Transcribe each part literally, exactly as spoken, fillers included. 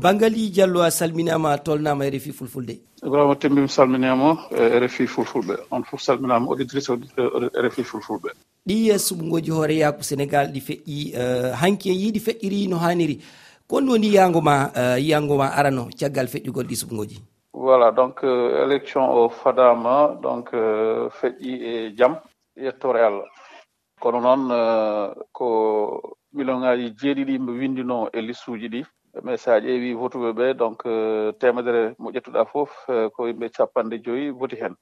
Bangali Diallo, a salminaama, a tolnaama R F I Fulfulde. Ibrahima Tembi, mi salminaama, eh, R F I Fulfulɓe. On fof salminaama, auditrice, auditeur R F I Fulfulɓe. Ɗi, eh, suɓngooji hooreyaaku Senegaal ɗi feƴƴi, eh, hanki en yiɗi feƴƴiri no haaniri. Ko honɗum woni yiyaango ma, eh, yiyaango ma arano caggal feƴƴugol ɗi suɓngooji? Voilà, donc, euh, élection o fadaama, donc, euh, feƴƴi e jam, yettoore Allah. Kono noon, eh, ko miliyoŋaaji jeeɗiɗi yimɓe winndinoo e listuuji ɗi. Mais so a ƴeewi votuɓe ɓe, donc, eh, teemedere mo ƴettuɗaa fof, eh, ko yimɓe capanɗe joyi voti heen.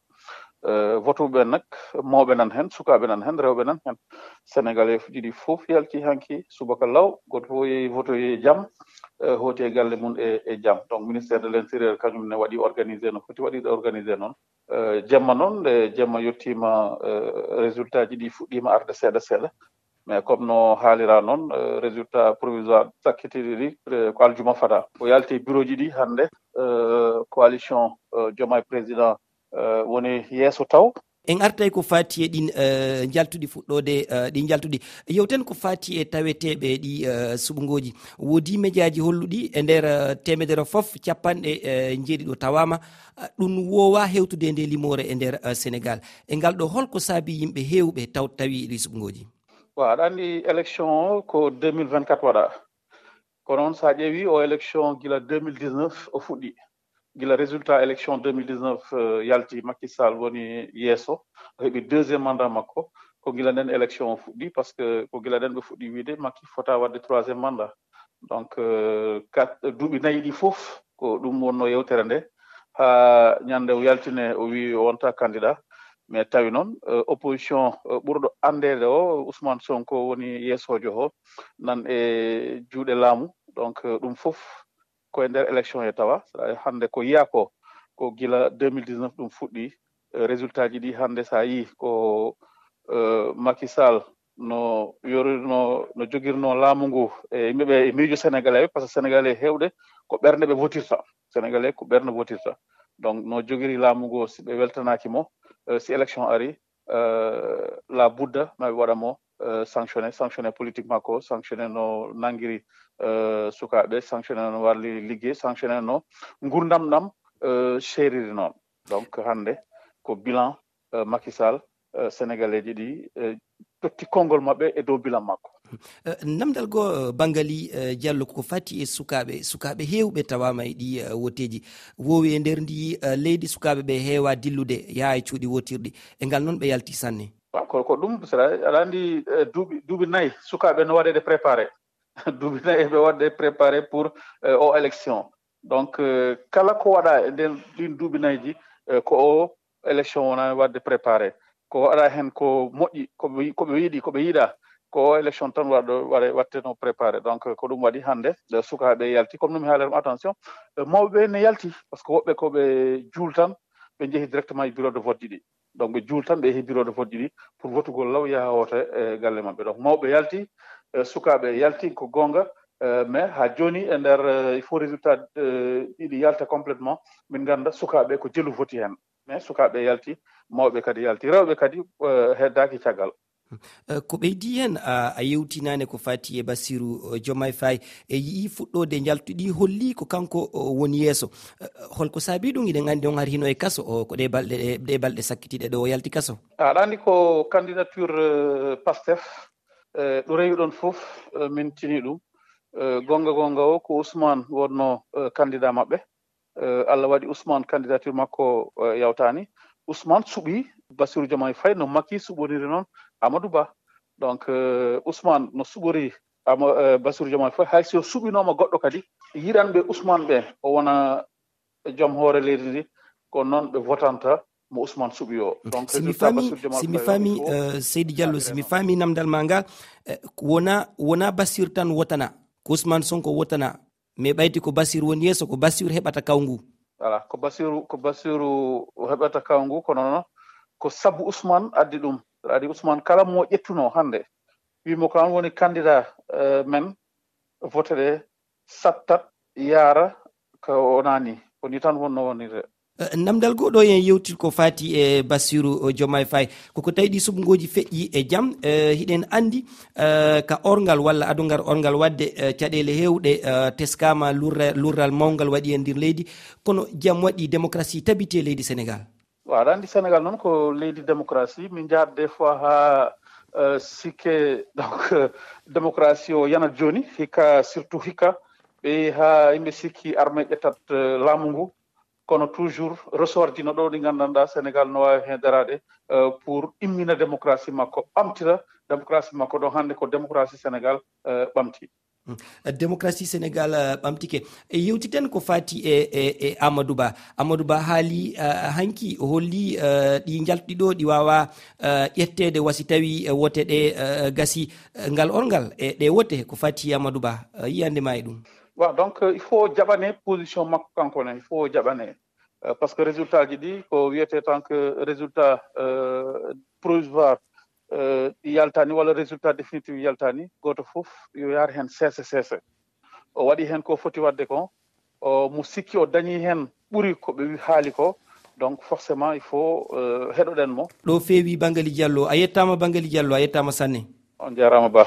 Eh, votuɓe ɓe nak, mawɓe nan heen, sukaaɓe nan heen, rewɓe nan heen. Sénégalais fuɗi ɗi fof yalti hanki subaka law, gooto fof yehi votoyi e jam, eh, hooti e galle mum e, e jam. Donc, ministère de l'Intérieur kañum ne waɗi organisé no foti waɗirde organisé noon. Eh, jemma noon, nde jemma yettiima, eh, résultat ji ɗi fuɗɗiima arde seeɗa seeɗa. Mais comme no haalira noon, eh, résultat provisoire sakkitiiɗi ɗi, eh, ko aljuma fada. O yalti bureau ji ɗi hannde, eh, coalition, eh, Diomaye Président, eh, woni yeeso taw. En artay ko faati e ɗin, eh, njaltuɗi fuɗɗoode, eh, ɗi njaltuɗi. Yewten ko faati e taweteeɓe ɗi, eh, suɓngooji. Woodi mejaaji holluɗi e nder, eh, teemedere fof, capanɗe, eh, njeeɗiɗo tawaama. Ah, ɗum woowaa hewtude nde limoore e nder, eh, Senegaal. E ngal ɗo, holko saabi yimɓe heewɓe taw-, tawi ɗi suɓngooji? Wa, aɗa anndi élection o ko deux mille vingt-quatre waɗa. Kono noon, so a ƴeewi o élection gila deux mille dix-neuf o fuɗɗi. Gila résultat élection deux mille dix-neuf, eh, yalti, Macky Sall woni yeeso, o heɓi deuxième mandat makko. Ko gila nden élection o fuɗɗi, parce que ko gila nden ɓe fuɗɗi wiide Macky fota waɗde troisième mandat. Donc, eh, kat-, duuɓi nayi ɗi fof, ko ɗum wonno yewtere nde. Haa ñande o yaltine, o wi o wonta candidat. Mais tawi noon, eh, opposition, eh, ɓurɗo anndeede o, Ousmane Sonko woni yeesoojo o, nan e juuɗe laamu. Donc, eh, ɗum fof ko e nder élection e tawa. Hannde ko yiya ko, ko gila deux mille dix-neuf ɗum fuɗɗi. Eh, résultat ji ɗi hannde, so a yii ko, eh, Macky Sall no yori-, no, no jogirno laamu ngu e yimɓe ɓe e miijo Sénégalais ɓe, parce que Sénégalais heewɓe ko ɓernde ɓe votirta. Sénégalais ko ɓernde votirta. Donc, no jogiri laamu ngu, si ɓe weltanaaki mo, eh, si élection ari, eh, la budda ma ɓe waɗa mo, eh, sanctionné, sanctionné politique makko, sanctionné no nanngiri, eh, sukaaɓe, sanctionné no warli liggey, sanctionné no ngurndam ɗam, eh, seeriri noon. Donc, hannde ko bilan, eh, Macky Sall, eh, Sénégalais ji ɗi, eh, totti konngol maɓɓe e dow bilan makko. Eh, namdal goo, eh, Bangali, eh, Diallo, ko fati e sukaaɓe, sukaaɓe heewɓe tawaama e ɗi, eh, woteeji. Woowi e nder ndi, eh, leydi, sukaaɓe ɓe heewa dillude, yaha e cuuɗi wotirɗi. E ngal noon ɓe yalti sanne. Wa, ko, ko ɗum, sera, aɗa anndi, eh, duuɓi, duuɓi nayi, sukaaɓe no waɗeede préparé. Duuɓi nayi ɓe waɗde préparé pour, eh, o élection. Donc, eh, kala ko waɗa e nder ɗin duuɓi nayi ji, eh, ko o élection wona waɗde préparé. Ko waɗa heen ko moƴƴi, ko ɓe, ko ɓe yiɗi, ko ɓe yiɗa, ko o élection tan waɗo, waɗe, waɗteno préparé. Donc, ko ɗum waɗi hannde, eh, sukaaɓe yalti. Comme no mi haalirma, attention, eh, mawɓe ɓe ne yalti, parce que woɓɓe ko ɓe juul tan, ɓe njehi directement e bureau de vote ji ɗi. Donc, ɓe juul tan, ɓe yehi bureau de vote ji ɗi pour votugol law yaha woote e galle maɓɓe. Donc, mawɓe yalti, eh, sukaaɓe yalti, ko goonga, eh, mais haa jooni e nder, eh, il faut résultat, eh, ɗiɗi yalta complètement, min ngannda sukaaɓe ko jelu voti heen. Mais sukaaɓe yalti, mawɓe kadi yalti, rewɓe kadi, eh, heddaaki caggal. Eh, ko ɓeydi heen, a, a yewtinaane ko fati e Bassirou, eh, Diomaye Faye, e yi'i fuɗɗoode njaltuɗi holli ko kanko, o, woni yeeso. Eh, holko saabi ɗum? Iɗen anndi on hari hino e kaso, o, ko ɗe balɗe, ɗe, ɗe balɗe sakkitiiɗe ɗo o yalti kaso. Aɗa anndi ko candidature, eh, Pastef, eh, ɗo rewi ɗon fof, eh, min tini ɗum. Eh, goonga goonga o ko Ousmane wonno, eh, candidat maɓɓe. Eh, Allah waɗi Ousmane candidature makko, eh, yawtaani. Ousmane suɓi Bassirou Diomaye Faye no Macky suɓoniri noon Amadou Ba. Donc, eh, Ousmane no suɓori Ama-, eh, Bassirou Diomaye Faye, hay si o suɓinooma goɗɗo kadi, yiɗanɓe Ousmane ɓe, o wona joom hoore leydi ndi, ko noon ɓe votanta mo Ousmane suɓi o. Donc, si mi résultat faami, Bassirou Diomaye si mi Faye faami, woni ko eh, Seydi Diallo, si mi faami namdal ma ngal, eh, wona, wona Bassirou tan wotana, ko Ousmane Sonko wotana, mais ɓayti ko Bassirou woni yeeso, ko Bassirou heɓata kawngu. Voilà, ko Bassirou, ko Bassirou heɓata kawngu, kono noon ko sabu Ousmane addi ɗum. Aɗa anndi Ousmane kala mo ƴettuno hannde, wimo ko an woni candidat, eh, men, vote ɗe sattat, yaara, ko wonani. Ko ni tan wonno wonirde. Namdal goo ɗoo en yewtit ko faati e Bassirou Diomaye Faye. Koko tawi ɗi suɓngooji feƴƴi e jam. Hiɗen anndi ka orngal walla adungal orngal waɗde caɗeele heewɗe teskaama, lurral mawngal waɗi e nder leydi, kono jam waɗi, démocratie tabiti e leydi Sénégal. Waaw, aɗa anndi Sénégal noon ko leydi démocratie. Min njahat des fois haa sikke, donc, démocratie o yanat jooni hikka, surtout hikka ɓe haa yimɓe sikki armée ƴettat laamu ngu. Kono toujours ressortino ɗo ɗi nganndanɗaa Sénégal no waawi heen daraade pour immina démocratie makko, ɓamtira démocratie makko. Ɗo hannde ko démocratie Sénégal ɓamti. Démocratie Sénégal ɓamtike. E yewtiten ko faati e e e Amadou Ba. Amadou Ba haali hanki, o holli ɗi njaltuɗi ɗo ɗi waawa ƴetteede wasi tawi wote ɗe gasi. Ngal orngal e ɗe wote ko faati e Amadou Ba, yiyande ma e ɗum? Waaw, donc il faut jaɓane position makko kanko ne, il faut jaɓane. Parce que résultat ji ɗi ko wiyete tant que résultat provisoire ɗi yaltani walla résultat définitif yaltani, gooto fof yo yaar heen seese seese. O waɗi heen ko foti waɗde ko, o mo sikki o dañi heen ɓuri ko ɓe haali ko. Donc forcément il faut heɗoɗen mo. Ɗo feewi Bangali Diallo. A yettaama Bangali Diallo, a yettaama sanne. On jaaraama ba.